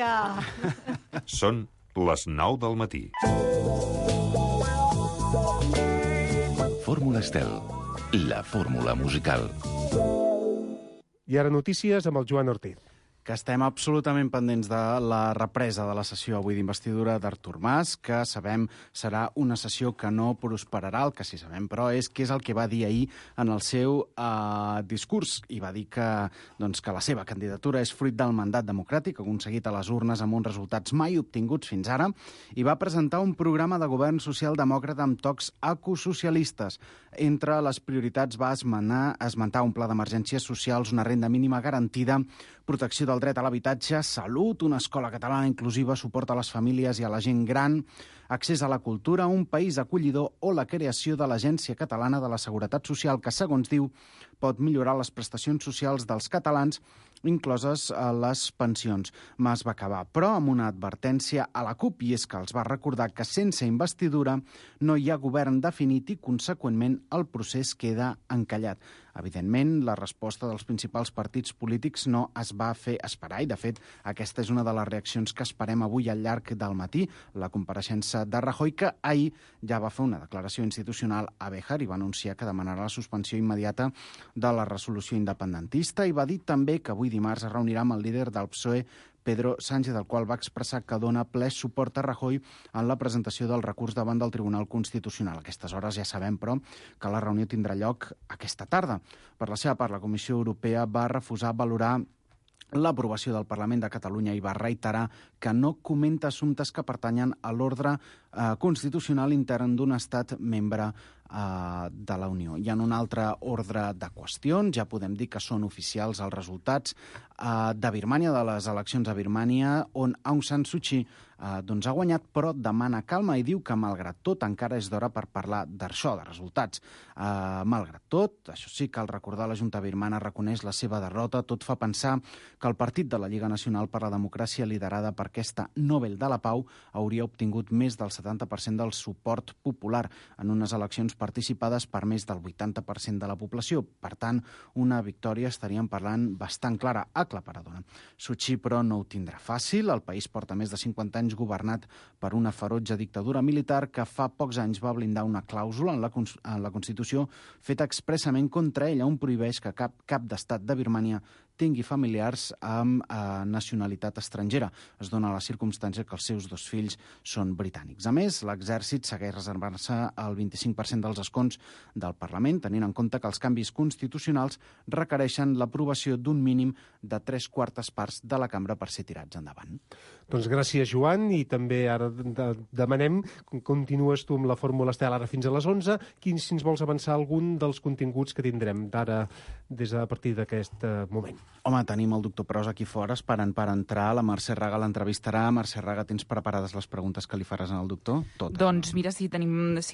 dia! Són les 9 del matí. Fórmula Estel, la fórmula musical. I ara notícies amb el Joan Ortiz. Que estem absolutament pendents de la represa de la sessió avui d'investidura d'Artur Mas, que sabem serà una sessió que no prosperarà. El que sí sabem, però, és què és el que va dir ahir en el seu discurs. I va dir que la seva candidatura és fruit del mandat democràtic aconseguit a les urnes amb uns resultats mai obtinguts fins ara, i va presentar un programa de govern socialdemòcrata amb tocs ecosocialistes. Entre les prioritats va esmentar un pla d'emergències socials, una renda mínima garantida, protecció del dret a l'habitatge, salut, una escola catalana inclusiva, suport a les famílies i a la gent gran, accés a la cultura, un país acollidor o la creació de l'Agència Catalana de la Seguretat Social, que, segons diu, pot millorar les prestacions socials dels catalans, incloses les pensions. Mas va acabar, però, amb una advertència a la CUP, i és que els va recordar que sense investidura no hi ha govern definit i, conseqüentment, el procés queda encallat. Evidentment, la resposta dels principals partits polítics no es va fer esperar i, de fet, aquesta és una de les reaccions que esperem avui al llarg del matí. La compareixença de Rajoy, que ahir ja va fer una declaració institucional a Béjar i va anunciar que demanarà la suspensió immediata de la resolució independentista, i va dir també que avui dimarts es reunirà amb el líder del PSOE, Pedro Sánchez, del qual va expressar que dona ple suport a Rajoy en la presentació del recurs davant del Tribunal Constitucional. A aquestes hores ja sabem, però, que la reunió tindrà lloc aquesta tarda. Per la seva part, la Comissió Europea va refusar valorar l'aprovació del Parlament de Catalunya i va reiterar que no comenta assumptes que pertanyen a l'ordre constitucional intern d'un estat membre de la Unió. Hi ha un altre ordre de qüestions, ja podem dir que són oficials els resultats de Birmània, de les eleccions a Birmània, on Aung San Suu Kyi ha guanyat, però demana calma i diu que, malgrat tot, encara és d'hora per parlar d'això, de resultats. Malgrat tot, això sí, cal recordar, la Junta birmana reconeix la seva derrota. Tot fa pensar que el partit de la Lliga Nacional per la Democràcia, liderada per aquesta Nobel de la Pau, hauria obtingut més del 70% del suport popular en unes eleccions participades per més del 80% de la població. Per tant, una victòria, estaríem parlant, bastant clara, aclaparadora. Suu Kyi, però, no ho tindrà fàcil. El país porta més de 50 anys governat per una ferotge dictadura militar que fa pocs anys va blindar una clàusula en la Constitució feta expressament contra ella, on prohibeix que cap d'estat de Birmània tingui familiars amb nacionalitat estrangera. Es dona la circumstància que els seus dos fills són britànics. A més, l'exèrcit segueix reservant-se el 25% dels escons del Parlament, tenint en compte que els canvis constitucionals requereixen l'aprovació d'un mínim de 3/4 parts de la cambra per ser tirats endavant. Doncs gràcies, Joan, i també ara demanem, continues tu amb la Fórmula Estel ara fins a les 11, si ens vols avançar algun dels continguts que tindrem d'ara a partir d'aquest moment. Home, tenim el doctor Pros aquí fora esperant per entrar. La Mercè Raga l'entrevistarà. Mercè Raga, tens preparades les preguntes que li faràs al doctor? Totes. Doncs mira, si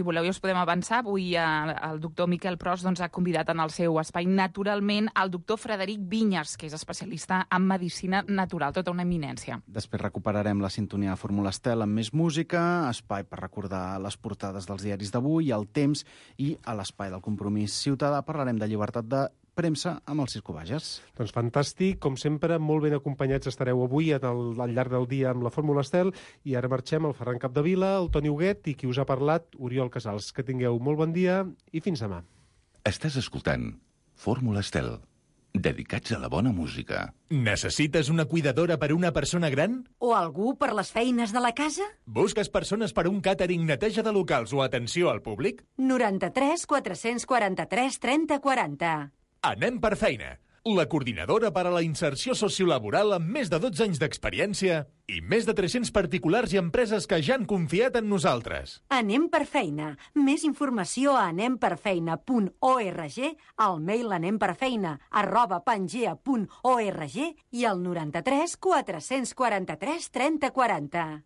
voleu i us podem avançar, avui el doctor Miquel Pros ha convidat en el seu espai, naturalment, el doctor Frederic Vinyes, que és especialista en medicina natural, tota una eminència. Després recuperarem la sintonia de Fórmula Estel amb més música, espai per recordar les portades dels diaris d'avui, el temps, i a l'espai del Compromís Ciutadà parlarem de llibertat de premsa amb el Circo Bages. Doncs fantàstic, com sempre, molt ben acompanyats estareu avui al llarg del dia amb la Fórmula Estel, i ara marxem el Ferran Capdevila, el Toni Huguet i qui us ha parlat, Oriol Casals. Que tingueu molt bon dia i fins demà. Estàs escoltant Fórmula Estel, dedicats a la bona música. Necessites una cuidadora per una persona gran? O algú per les feines de la casa? Busques persones per un càtering, neteja de locals o atenció al públic? 93 443 30 40. Anem per feina. La coordinadora per a la inserció sociolaboral amb més de 12 anys d'experiència i més de 300 particulars i empreses que ja han confiat en nosaltres. Anem per feina. Més informació a anemperfeina.org, al mail anemperfeina@pangea.org i al 93 443 30 40.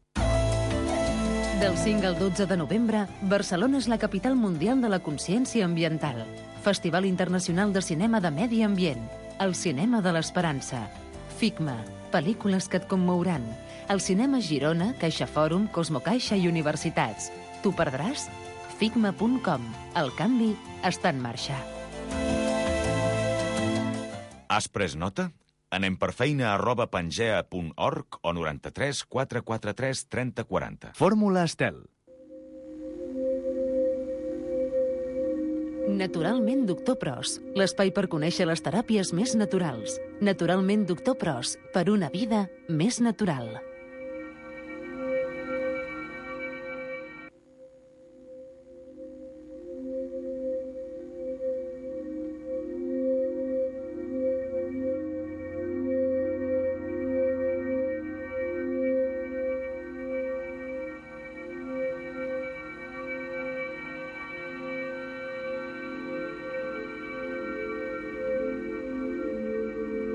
Del 5 al 12 de novembre, Barcelona és la capital mundial de la consciència ambiental. Festival Internacional de Cinema de Medi Ambient. El cinema de l'esperança. FICMA. Pel·lícules que et commouran. El cinema Girona, Caixa Fòrum, Cosmocaixa i universitats. T'ho perdràs? FICMA.com. El canvi està en marxa. Has pres nota? anemperfeina@pangea.org o 93 443 30 40. Fórmula Estel. Naturalment Doctor Pros, l'espai per conèixer les teràpies més naturals. Naturalment Doctor Pros, per una vida més natural.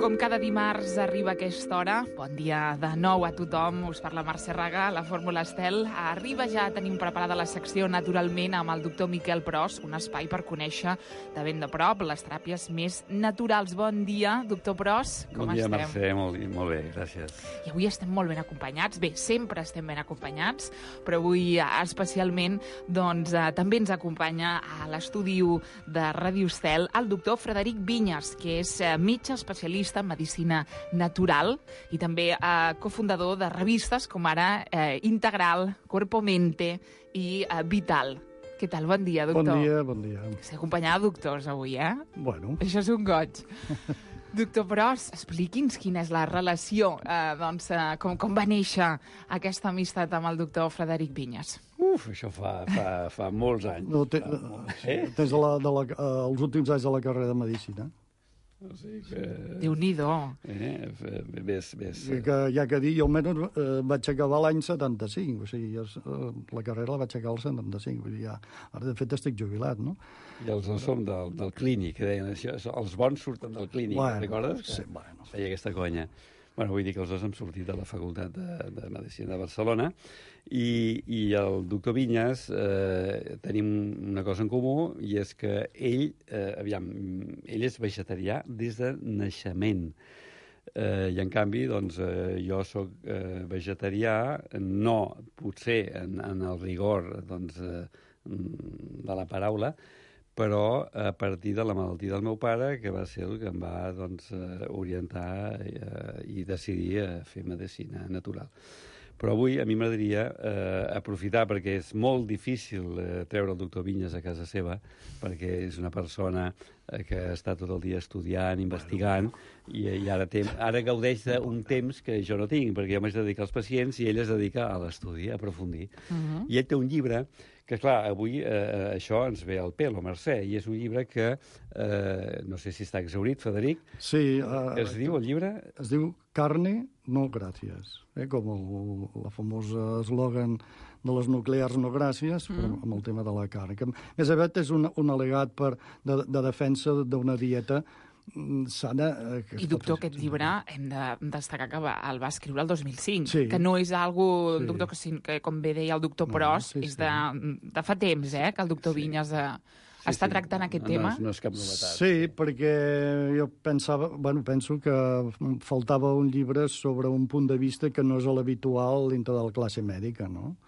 Com cada dimarts arriba a aquesta hora, bon dia de nou a tothom, us parla Mercè Raga, la Fórmula Estel. Arriba ja, tenim preparada la secció Naturalment amb el doctor Miquel Pros, un espai per conèixer de ben de prop les teràpies més naturals. Bon dia, doctor Pros, com estem? Bon dia, Mercè, molt bé, gràcies. I avui estem molt ben acompanyats, bé, sempre estem ben acompanyats, però avui especialment doncs, també ens acompanya a l'estudi de Ràdio Estel el doctor Frederic Viñas, que és metge especialista en medicina natural i també cofundador de revistes com ara Integral, Cuerpo Mente i Vital. Què tal? Bon dia, doctor. Bon dia. S'ha acompanyat de doctors avui, eh? Bueno. Això és un goig. Doctor Pros, expliqui'ns quina és la relació, com va néixer aquesta amistat amb el doctor Frederic Viñas. Això fa molts anys. No, des els últims anys de la carrera de Medicina. O sigui que... Déu-n'hi-do. Ves. Que hi ha que dir, jo almenys vaig acabar l'any 75, o sigui, la carrera la vaig acabar el 75, vull dir, ara de fet estic jubilat, no? I els dos som del clínic, que deien això, els bons surten del clínic, recordes? Sí, bueno. Feia aquesta conya. Bueno, vull dir que els dos hem sortit de la Facultat de Medicina de Barcelona i el doctor Viñas tenim una cosa en comú i és que ell és vegetarià des de naixement. I en canvi, doncs, jo sóc vegetarià, no potser en el rigor doncs, de la paraula, però a partir de la malaltia del meu pare, que va ser el que em va doncs, orientar i decidir a fer medicina natural. Però avui a mi m'agradaria aprofitar, perquè és molt difícil treure el doctor Viñas a casa seva, perquè és una persona que està tot el dia estudiant, investigant, i ara gaudeix d'un temps que jo no tinc, perquè jo m'haig de dedicar als pacients i ell es dedica a l'estudi, a aprofundir. I ell té un llibre que, clar, avui això ens ve al pelo, Mercè, i és un llibre que, no sé si està exhaurit, Frederic. Sí. Es diu, el llibre? Es diu Carne, no gràcies, com el famós eslògan de les nuclears no gràcies, però amb el tema de la carn. Que, més aviat és un al·legat de defensa d'una dieta sana. I, doctor, aquest llibre hem de destacar que el va escriure el 2005, sí. Que no és algo, doctor, que com bé deia el doctor Pros, és de fa temps, que el doctor Viñas està tractant aquest tema. No és cap novetat. Sí, perquè jo penso que faltava un llibre sobre un punt de vista que no és l'habitual dintre de la classe mèdica, no?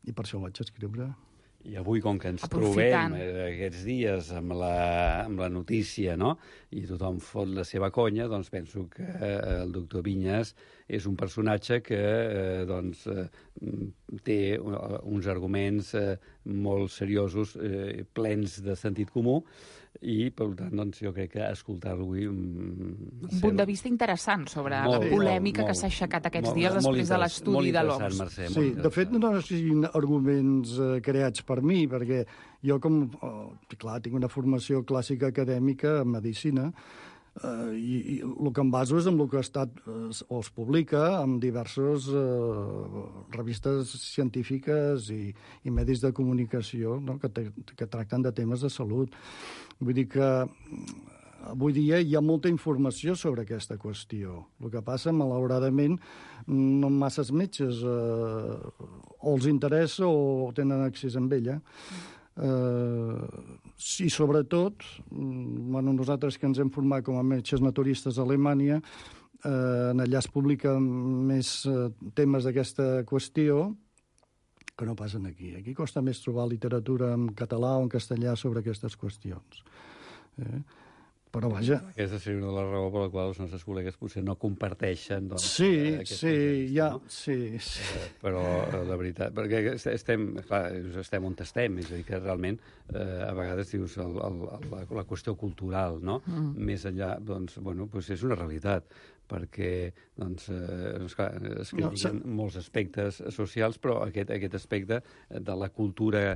I per això ho vaig escriure. I avui, com que ens trobem aquests dies amb la notícia, no?, i tothom fot la seva conya, doncs penso que el doctor Viñas és un personatge que té uns arguments molt seriosos, plens de sentit comú, i, per tant, doncs, jo crec que escoltar-lo avui... Un punt de vista interessant sobre la polèmica que s'ha aixecat aquests dies després de l'estudi de l'OMS. Sí, de fet, no siguin arguments creats per mi, perquè jo, clar, tinc una formació clàssica acadèmica en medicina, i el que em baso és en el que ha estat o es publica en diverses revistes científiques i medis de comunicació, no?, que tracten de temes de salut. Vull dir que avui dia hi ha molta informació sobre aquesta qüestió. El que passa, malauradament, no masses metges o els interessa o tenen accés amb ella. I sobretot, nosaltres que ens hem format com a metges naturistes a Alemanya, allà es publiquen més temes d'aquesta qüestió que no passen aquí. Aquí costa més trobar literatura en català o en castellà sobre aquestes qüestions. Però, vaja... Aquesta seria una de les raons per la qual els nostres col·legues potser no comparteixen aquest projecte, no? Sí. Però la veritat... Perquè estem on estem, és a dir, que realment a vegades dius la qüestió cultural, no? Més enllà, doncs és una realitat, perquè es critiquen molts aspectes socials, però aquest aspecte de la cultura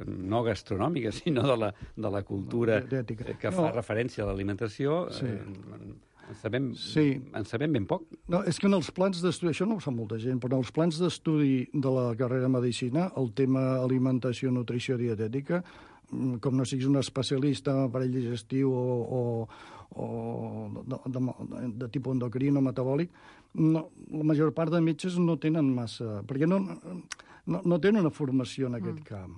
no gastronòmica, sinó de la cultura que fa referència a l'alimentació, en sabem ben poc. No, és que en els plans d'estudi, això no ho sap molta gent, però en els plans d'estudi de la carrera de Medicina, el tema alimentació, nutrició, dietètica, com no siguis un especialista en aparell digestiu o de tipus endocrino metabòlic, la major part de metges no tenen massa... perquè no tenen una formació en aquest camp.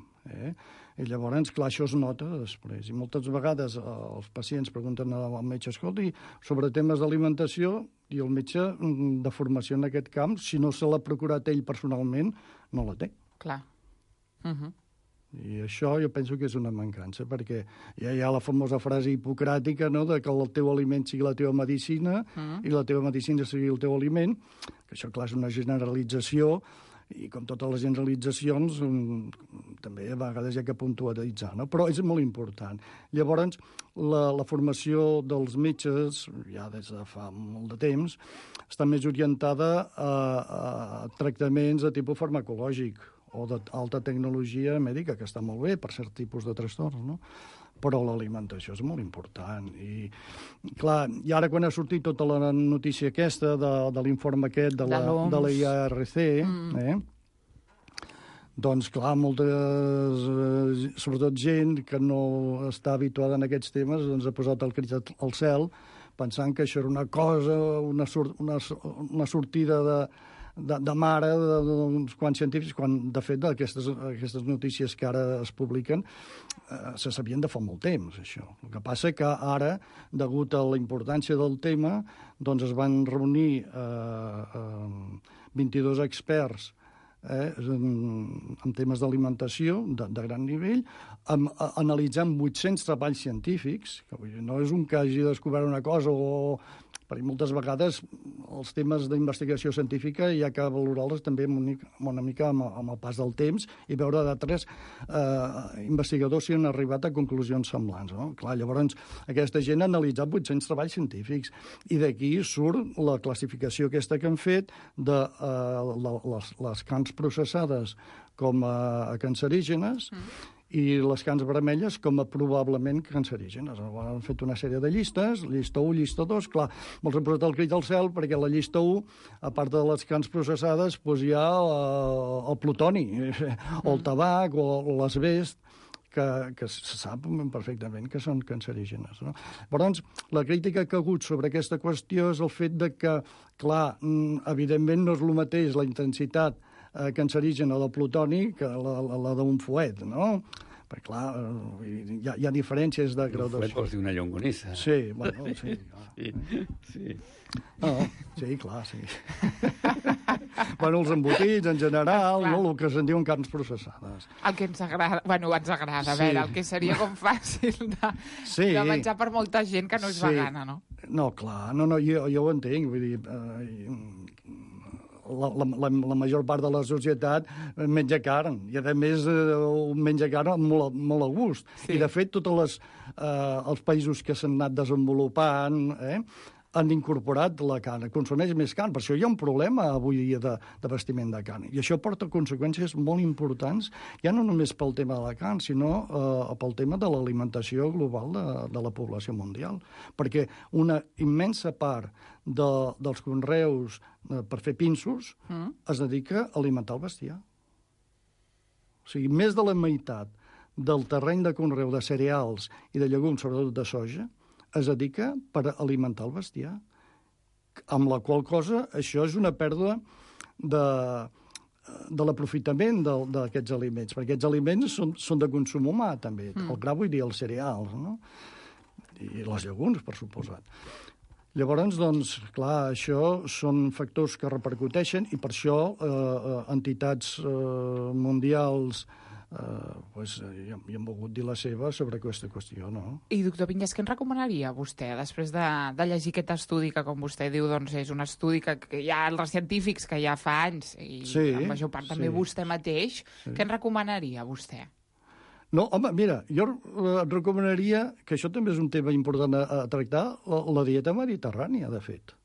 I llavors, clar, això es nota després. I moltes vegades els pacients pregunten al metge, escolti, sobre temes d'alimentació, i el metge de formació en aquest camp, si no se l'ha procurat ell personalment, no la té. Clar. I això jo penso que és una mancança, perquè ja hi ha la famosa frase hipocràtica, no?, de que el teu aliment sigui la teva medicina i la teva medicina sigui el teu aliment, que això, clar, és una generalització, i com totes les generalitzacions també a vegades hi ha que puntualitzar, no? Però és molt important. Llavors, la formació dels metges, ja des de fa molt de temps, està més orientada a tractaments de tipus farmacològic o d'alta tecnologia mèdica, que està molt bé per cert tipus de trastorns, no? Però l'alimentació és molt important. I, clar, i ara quan ha sortit tota la notícia aquesta de l'informe aquest de la IARC, doncs, clar, sobretot gent que no està habituada en aquests temes, doncs ha posat el crit al cel pensant que això era una cosa, una sortida de mare d'uns quants científics, quan, de fet, aquestes notícies que ara es publiquen se sabien de fa molt temps, això. El que passa que ara, degut a la importància del tema, doncs es van reunir 22 experts en temes d'alimentació de gran nivell, analitzant 800 treballs científics, que no és un que hagi descobert una cosa perquè moltes vegades els temes d'investigació científica hi ha que valorar-les també una mica amb el pas del temps i veure d'altres investigadors si han arribat a conclusions semblants. No? Clar, llavors, aquesta gent ha analitzat 800 treballs científics i d'aquí surt la classificació aquesta que han fet de les carns processades com a cancerígenes i les carns vermelles com a probablement cancerígenes. Han fet una sèrie de llistes, llista 1, llista 2, clar, molts han posat el crit al cel perquè a la llista 1, a part de les carns processades, doncs hi ha el plutoni, o el tabac, o l'asbest, que se sap perfectament que són cancerígenes. No? Llavors, la crítica que ha hagut sobre aquesta qüestió és el fet de que, clar, evidentment no és el mateix la intensitat cancerígena del plutoni que la d'un fuet, no? Perquè, clar, hi ha diferències de graduació. Un fuet vols dir una llonganissa. Sí, bueno, sí. Sí. No, sí, clar, sí. Bueno, els embotits, en general, no? El que se'n diuen carns processades. El que ens agrada, a veure, el que seria com fàcil de menjar per molta gent que no és vegana, no? No, clar, jo ho entenc, vull dir... La major part de la societat menja carn, i a més menja carn molt a gust. Sí. I de fet, tots els països que s'han anat desenvolupant han incorporat la carn, consumeix més carn. Per això hi ha un problema avui dia de vestiment de carn. I això porta conseqüències molt importants, ja no només pel tema de la carn, sinó pel tema de l'alimentació global de la població mundial. Perquè una immensa part dels conreus per fer pinsos es dedica a alimentar el bestiar. O sigui, més de la meitat del terreny de conreu de cereals i de llegums, sobretot de soja, es dedica per alimentar el bestiar. Amb la qual cosa, això és una pèrdua de l'aprofitament d'aquests aliments, perquè aquests aliments són de consum humà, també. El gra, vull dir, els cereals, no? I les llegums, per suposat. Llavors, doncs, clar, això són factors que repercuteixen i per això entitats mundials hi han volgut dir la seva sobre aquesta qüestió, no? I, doctor Vinyes, què ens recomanaria vostè després de llegir aquest estudi que, com vostè diu, doncs és un estudi que hi ha els científics que ja fa anys i en major part també vostè mateix, què ens recomanaria vostè? No, home, mira, jo et recomanaria, que això també és un tema important a tractar, la dieta mediterrània, de fet.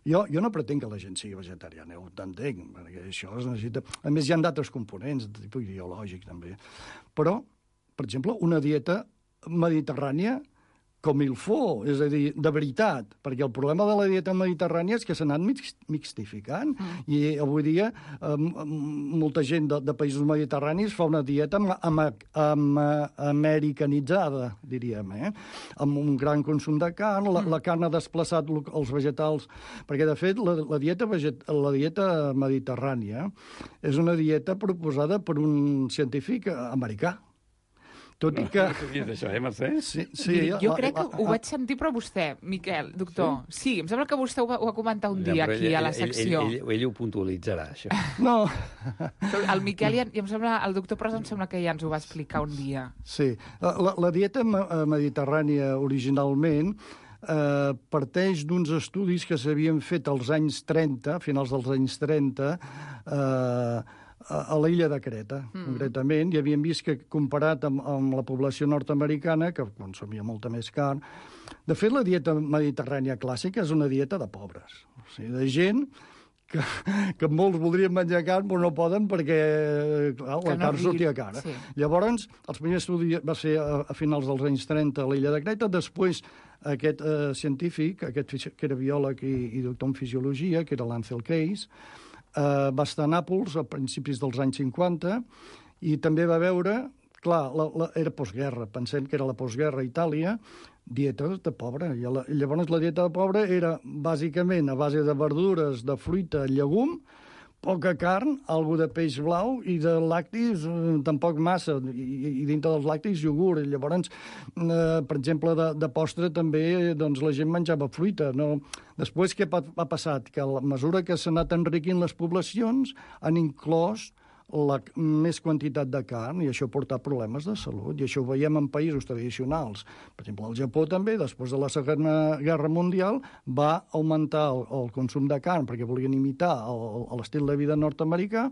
Jo no pretenc que la gent sigui vegetariana, ho t'entenc, perquè això es necessita... A més, hi ha d'altres components, de tipus ideològic, també. Però, per exemple, una dieta mediterrània com il faut, és a dir, de veritat, perquè el problema de la dieta mediterrània és que s'ha anat mixtificant, i avui dia molta gent de països mediterranis fa una dieta americanitzada, diríem, amb un gran consum de carn, la carn ha desplaçat els vegetals, perquè, de fet, la dieta mediterrània és una dieta proposada per un científic americà. Tot i que... Això, Mercè? Sí, jo crec que ho vaig sentir, però vostè, Miquel, doctor, sí, em sembla que vostè ho va comentar un dia aquí a la secció. Ell ho puntualitzarà, això. No. El Miquel, i em sembla, el doctor Pros em sembla que ja ens ho va explicar un dia. Sí, la dieta mediterrània originalment parteix d'uns estudis que s'havien fet als anys 30, a finals dels anys 30, a l'illa de Creta, concretament, i havien vist que, comparat amb la població nord-americana, que consumia molta més carn, de fet, la dieta mediterrània clàssica és una dieta de pobres, o sigui, de gent que molts voldrien menjar carn, però no poden perquè la carn sortia cara. Sí. Llavors, el primer estudi va ser a finals dels anys 30 a l'illa de Creta, després aquest científic, que era biòleg i doctor en fisiologia, que era l'Ansel Keys, va estar a Nàpols a principis dels anys 50 i també va veure, clar, era postguerra, pensem que era la postguerra a Itàlia, dieta de pobre. I llavors la dieta de pobre era bàsicament a base de verdures, de fruita, llegum, poca carn, algo de peix blau i de làctics tampoc massa, i dintre dels làctics iogurt. Llavors, per exemple, de postre també la gent menjava fruita. Després, què ha passat? Que a mesura que s'han anat enriquint les poblacions, han inclòs més quantitat de carn, i això ha portat problemes de salut, i això ho veiem en països tradicionals. Per exemple, el Japó també, després de la Segona Guerra Mundial, va augmentar el consum de carn perquè volien imitar l'estil de vida nord-americà,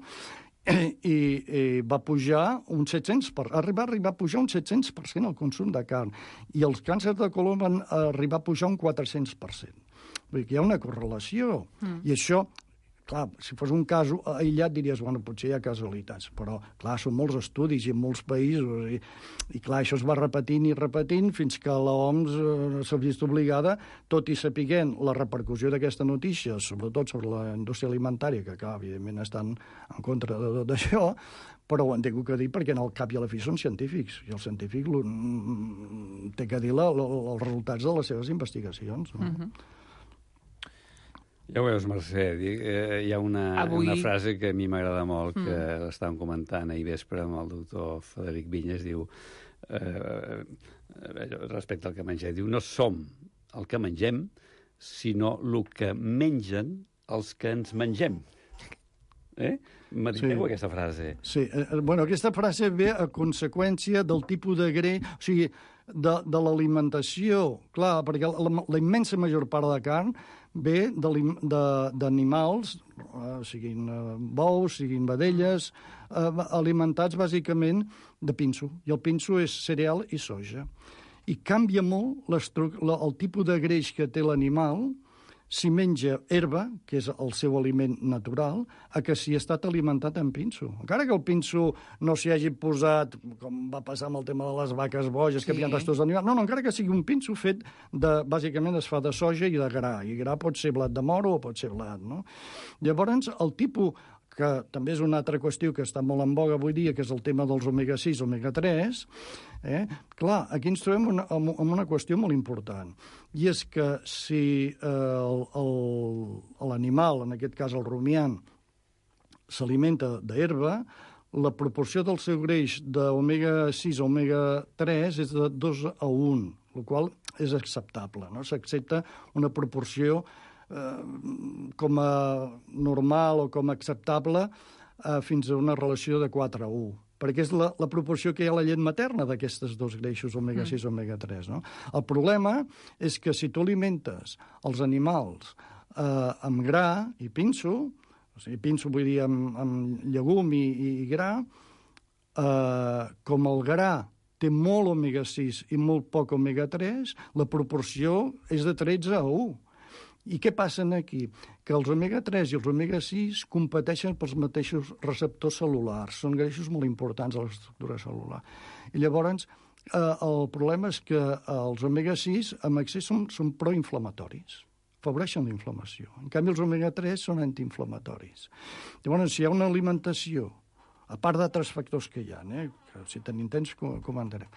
i va pujar un 700%, arribar a pujar un 700% el consum de carn, i els càncers de colon van arribar a pujar un 400%. Vull dir que hi ha una correlació, i això... Clar, si fos un cas aïllat diries, bueno, potser hi ha casualitats, però, clar, són molts estudis i en molts països, i clar, això es va repetint i repetint fins que l'OMS s'ha vist obligada, tot i sapiguent la repercussió d'aquesta notícia, sobretot sobre la indústria alimentària, que, clar, evidentment estan en contra de tot això, però ho han tingut que dir perquè en el cap i a la fi són científics, i el científic té que dir els resultats de les seves investigacions, no? Ja ho veus, Mercè, hi ha una frase que a mi m'agrada molt, que l'estàvem comentant ahir vespre amb el doctor Frederic Vinyes, diu, respecte al que mengem, diu, no som el que mengem, sinó el que mengen els que ens mengem. Mediteu aquesta frase. Sí, bueno, aquesta frase ve a conseqüència del tipus de greix, o sigui, de l'alimentació, clar, perquè la immensa major part de carn ve d'animals, siguin bous, siguin vedelles, alimentats bàsicament de pinso. I el pinso és cereal i soja. I canvia molt el tipus de greix que té l'animal si menja herba, que és el seu aliment natural, a que si ha estat alimentat amb pinso. Encara que el pinso no s'hi hagi posat, com va passar amb el tema de les vaques boges, que havien restos d'animals, no, encara que sigui un pinso fet bàsicament es fa de soja i de gra, i gra pot ser blat de moro o pot ser blat, no? Llavors, el tipus, que també és una altra qüestió que està molt en boga avui dia, que és el tema dels omega-6, omega-3, clar, aquí ens trobem amb una qüestió molt important, i és que si l'animal, en aquest cas el rumiant, s'alimenta d'herba, la proporció del seu greix d'omega-6 a omega-3 és de 2:1, el qual és acceptable, no? S'accepta una proporció com a normal o com a acceptable fins a una relació de 4:1. perquè és la proporció que hi ha a la llet materna d'aquestes dos greixos, omega-6 i omega-3. No? El problema és que si tu alimentes els animals amb gra i pinso, o sigui, pinso vull dir amb llegum i gra, com el gra té molt omega-6 i molt poc omega-3, la proporció és de 13 a 1. I què passa aquí? Que els omega-3 i els omega-6 competeixen pels mateixos receptors cel·lulars. Són greixos molt importants a l'estructura cel·lular. I llavors, el problema és que els omega-6 amb excés són proinflamatoris. Afavoreixen la inflamació. En canvi, els omega-3 són antiinflamatoris. Llavors, si hi ha una alimentació, a part d'altres factors que hi ha, que si tenim temps comentarem,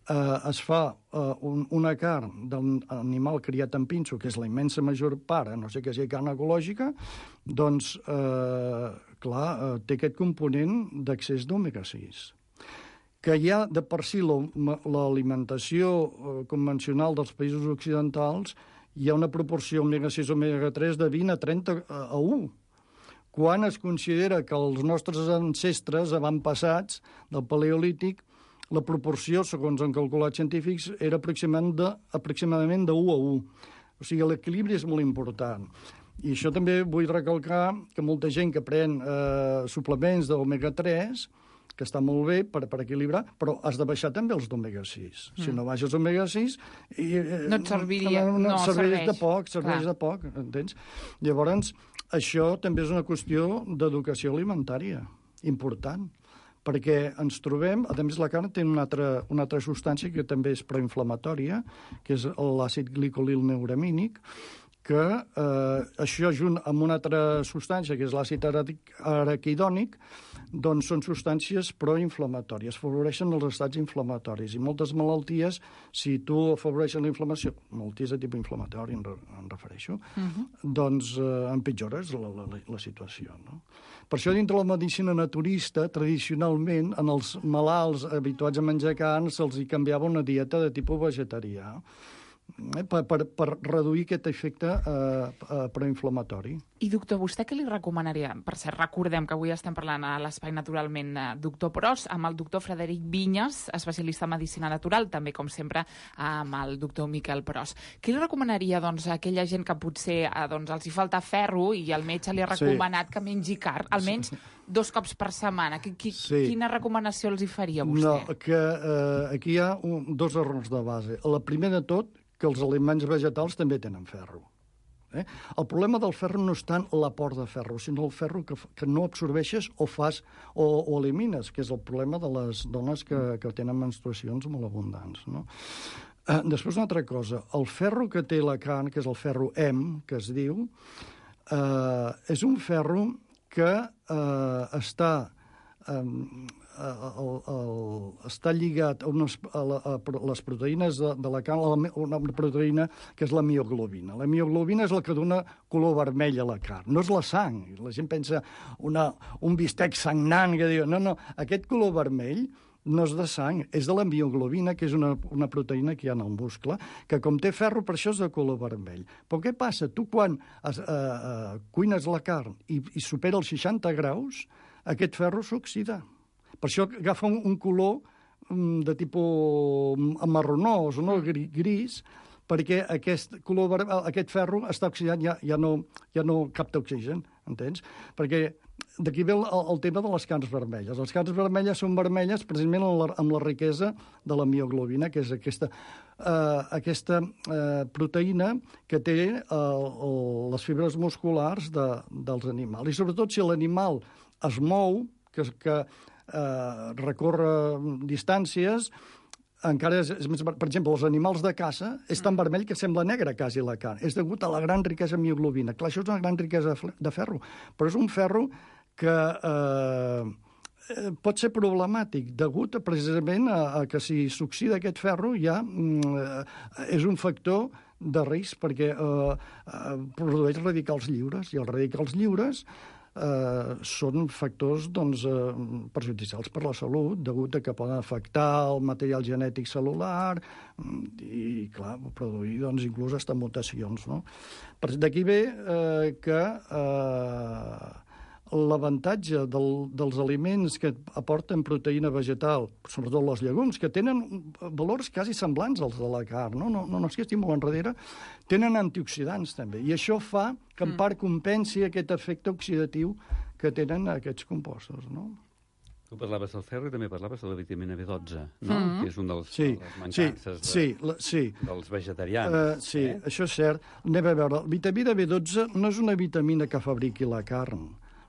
es fa una carn d'un animal criat en pinso, que és la immensa major part, no sé què sigui carn ecològica, doncs, clar, té aquest component d'accés d'omega-6. Que hi ha de per si l'alimentació convencional dels països occidentals, hi ha una proporció omega-6 omega-3 de 20 a 30 a 1. Quan es considera que els nostres ancestres avantpassats del paleolític, la proporció, segons han calculat científics, era aproximadament de 1 a 1. O sigui, l'equilibri és molt important. I això també vull recalcar que molta gent que pren suplements d'omega-3, que està molt bé per equilibrar, però has de baixar també els d'omega-6. Si no baixes omega-6... no et serviria, no serveix. Serveix de poc, entens? Llavors, això també és una qüestió d'educació alimentària, important, perquè ens trobem... A més, la carn té una altra substància que també és proinflamatòria, que és l'àcid glicolil neuramínic, que això junt amb una altra substància, que és l'àcid araquidònic, doncs són substàncies proinflamatòries, afavoreixen els estats inflamatoris. I moltes malalties, si tu afavoreixes la inflamació, malalties de tipus inflamatori em refereixo, doncs empitjores la situació. No? Per això, dintre la medicina naturista, tradicionalment, en els malalts habituats a menjar carn, se'ls hi canviava una dieta de tipus vegetarià, per reduir aquest efecte proinflamatori. I, doctor, vostè què li recomanaria? Per cert, recordem que avui estem parlant a l'Espai Naturalment Doctor Pros amb el doctor Frederic Vinyes, especialista en medicina natural, també, com sempre, amb el doctor Miquel Pros. Què li recomanaria doncs, a aquella gent que potser els hi falta ferro i el metge li ha recomanat que mengi carn, almenys 2 cops per setmana? Quina recomanació els hi faria vostè? No, que aquí hi ha 2 errors de base. La primer de tot, que els aliments vegetals també tenen ferro. El problema del ferro no és tant l'aport de ferro, sinó el ferro que no absorbeixes o elimines, que és el problema de les dones que tenen menstruacions molt abundants. No? Després, una altra cosa. El ferro que té la carn, que és el ferro Hem, que es diu, és un ferro que està lligat a les proteïnes de la carn, una proteïna que és la mioglobina. La mioglobina és la que dona color vermell a la carn, no és la sang. La gent pensa un bistec sagnant que diu, no, aquest color vermell no és de sang, és de la mioglobina, que és una proteïna que hi ha en el muscle, que com té ferro, per això és de color vermell. Però què passa? Tu quan cuines la carn i supera els 60 graus, aquest ferro s'oxida. Per això agafa un color de tipus marronós, no? Gris, perquè aquest ferro està oxidat, ja no capta oxigen, entens? Perquè d'aquí ve el tema de les carns vermelles. Les carns vermelles són vermelles precisament amb la riquesa de la mioglobina, que és aquesta proteïna que té les fibres musculars dels animals. I sobretot si l'animal es mou, que recorre distàncies, encara és més... Per exemple, els animals de caça és tan vermell que sembla negra quasi la carn. És degut a la gran riquesa de mioglobina. Clar, això és una gran riquesa de ferro, però és un ferro que pot ser problemàtic, degut precisament a que si s'oxida aquest ferro ja és un factor de risc perquè produeix radicals lliures, i els radicals lliures són factors perjudicials per la salut, degut a que poden afectar el material genètic cel·lular i, clar, produir inclús hasta mutacions. No? D'aquí ve que l'avantatge dels aliments que aporten proteïna vegetal, sobretot els llegums, que tenen valors quasi semblants als de la carn, no és que estic molt enrere, tenen antioxidants també, i això fa que en part compensi aquest efecte oxidatiu que tenen aquests compostos, no? Tu parlaves del ferro i també parlaves de la vitamina B12, no? Que és un dels mancances dels vegetarians. Sí, això és cert. Anem a veure, la vitamina B12 no és una vitamina que fabriqui la carn.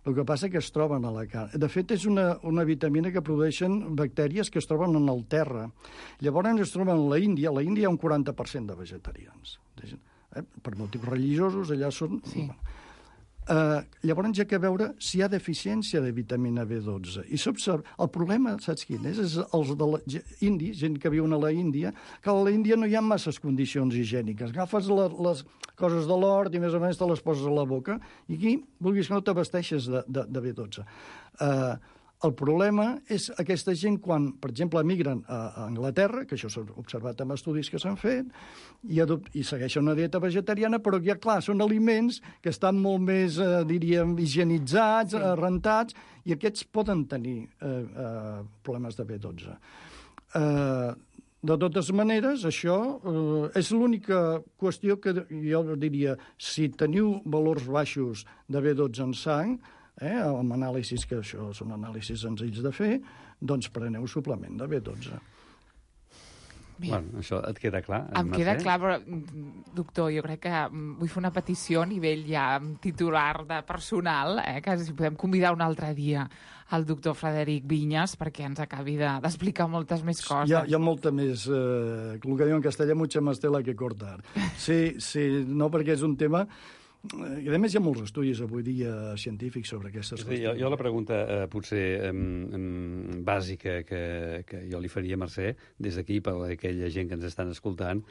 El que passa que es troben a la carn. De fet, és una vitamina que produeixen bactèries que es troben en el terra. Llavors es troben a l'Índia. A l'Índia hi ha un 40% de vegetarians. Per motius religiosos, allà són... Sí. Llavors hi ha que veure si hi ha deficiència de vitamina B12. I s'observa... El problema, saps quin és? És els de l'indis, gent que viuen a la Índia, que a la Índia no hi ha masses condicions higièniques. Agafes les coses de l'hort i més o menys te les poses a la boca i aquí, vulguis que no t'abasteixes de B12. El problema és aquesta gent quan, per exemple, emigren a Anglaterra, que això s'ha observat amb estudis que s'han fet, i segueixen una dieta vegetariana, però ja, clar, són aliments que estan molt més, diríem, higienitzats, rentats, i aquests poden tenir problemes de B12. De totes maneres, això és l'única qüestió que jo diria, si teniu valors baixos de B12 en sang, amb anàlisis, que això són anàlisis senzills de fer, doncs preneu suplement de B12. Bueno, això et queda clar? Em queda clar, però, doctor, jo crec que vull fer una petició a nivell ja titular de personal, que si podem convidar un altre dia el doctor Frederic Viñas perquè ens acabi d'explicar moltes més coses. Hi ha molta més, el que diuen en castellà, mucha más tela que cortar. Sí, no, perquè és un tema... I a més hi ha molts estudis avui dia científics sobre aquestes qüestions. Jo la pregunta potser bàsica que jo li faria, Mercè, des d'aquí per aquella gent que ens estan escoltant,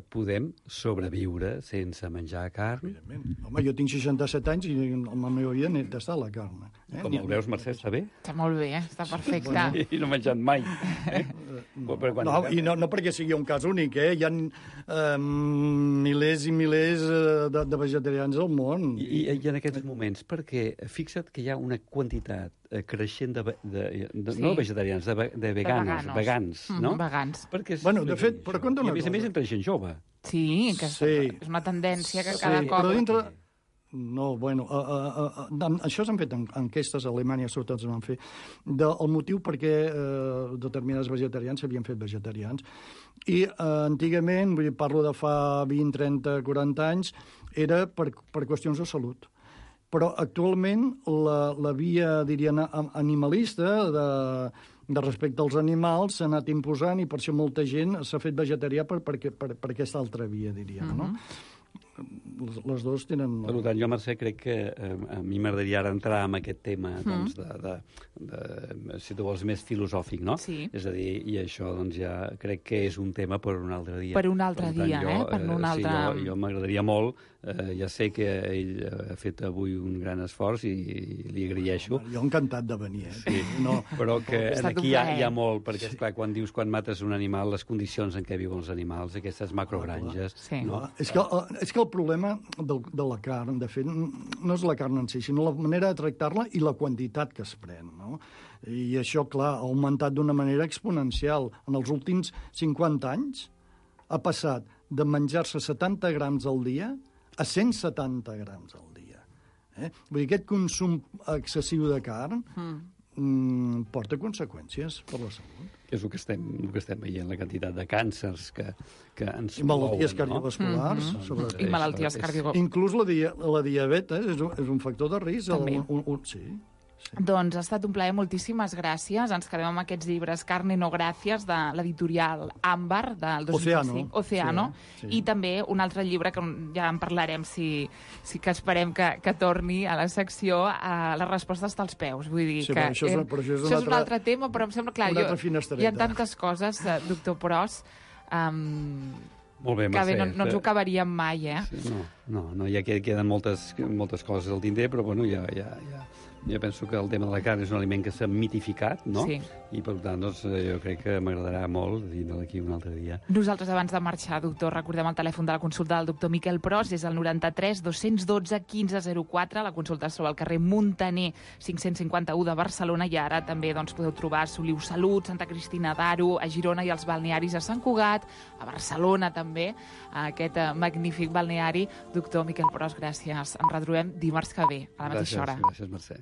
podem sobreviure sense menjar carn? Evidentment. Home, jo tinc 67 anys i la meva vida n'he tastat la carn. Com el veus, Mercè, està bé? Està molt bé, està perfecte. I no he menjat mai. No perquè sigui un cas únic, hi ha milers i milers de vegetarians al món. I en aquests moments, perquè fixa't que hi ha una quantitat creixent no vegetarians, de vegans, no? Vegans. Bueno, de fet, però compta una cosa. I a més entre gent jove. Sí, que és una tendència que cada cop... Però dintre... No, bueno, això s'han fet enquestes a Alemanya, sobretot es van fer, del motiu perquè determinats vegetarians s'havien fet vegetarians. I antigament, vull dir, parlo de fa 20, 30, 40 anys, era per qüestions de salut. Però actualment la via, diríem, animalista de respecte als animals s'ha anat imposant i per això molta gent s'ha fet vegetarià per aquesta altra via, diríem, no? Les dues tenen... Per tant, jo, Mercè, crec que a mi m'agradaria ara entrar en aquest tema, doncs, si tu vols, més filosòfic, no? Sí. És a dir, i això, doncs, ja crec que és un tema per un altre dia. Per un altre dia, per un altre... Sí, jo m'agradaria molt, ja sé que ell ha fet avui un gran esforç i li agraeixo. Jo encantat de venir, Sí, però que aquí hi ha molt, perquè, esclar, quan dius quan mates un animal, les condicions en què viuen els animals, aquestes macrogranges... No? És que el problema de la carn, de fet, no és la carn en si, sinó la manera de tractar-la i la quantitat que es pren, no? I això, clar, ha augmentat d'una manera exponencial. En els últims 50 anys ha passat de menjar-se 70 grams al dia a 170 grams al dia. Vull dir, aquest consum excessiu de carn porta conseqüències per la salut. És el que estem veient, la quantitat de càncers que ens I malalties cardiovasculars. I malalties cardiovasculars. Inclús la diabetes és un factor de risc. També. Sí. Doncs ha estat un plaer, moltíssimes gràcies. Ens quedem amb aquests llibres Carne no gràcies, de l'editorial Àmbar, del 2005. Oceano. Sí. I també un altre llibre que ja en parlarem, si que esperem que torni a la secció, a les respostes dels peus. Vull dir que això és un altre tema, però em sembla clar, hi ha tantes coses, doctor Pros, molt bé, Mercè. Que no ens ho acabaríem mai, No, ja queden moltes coses al tinter, però bueno, ja Jo penso que el tema de la carn és un aliment que s'ha mitificat, no? Sí. I, per tant, doncs, jo crec que m'agradarà molt dinar d'aquí un altre dia. Nosaltres, abans de marxar, doctor, recordem el telèfon de la consulta del doctor Miquel Pros, és el 93 212 1504. La consulta es troba al carrer Muntaner 551 de Barcelona, i ara també doncs, podeu trobar a Soliu Salut, Santa Cristina d'Aro, a Girona i als balnearis a Sant Cugat, a Barcelona també, a aquest magnífic balneari. Doctor Miquel Pros, gràcies. Ens retrobem dimarts que ve, a la mateixa hora. Gràcies, Mercè.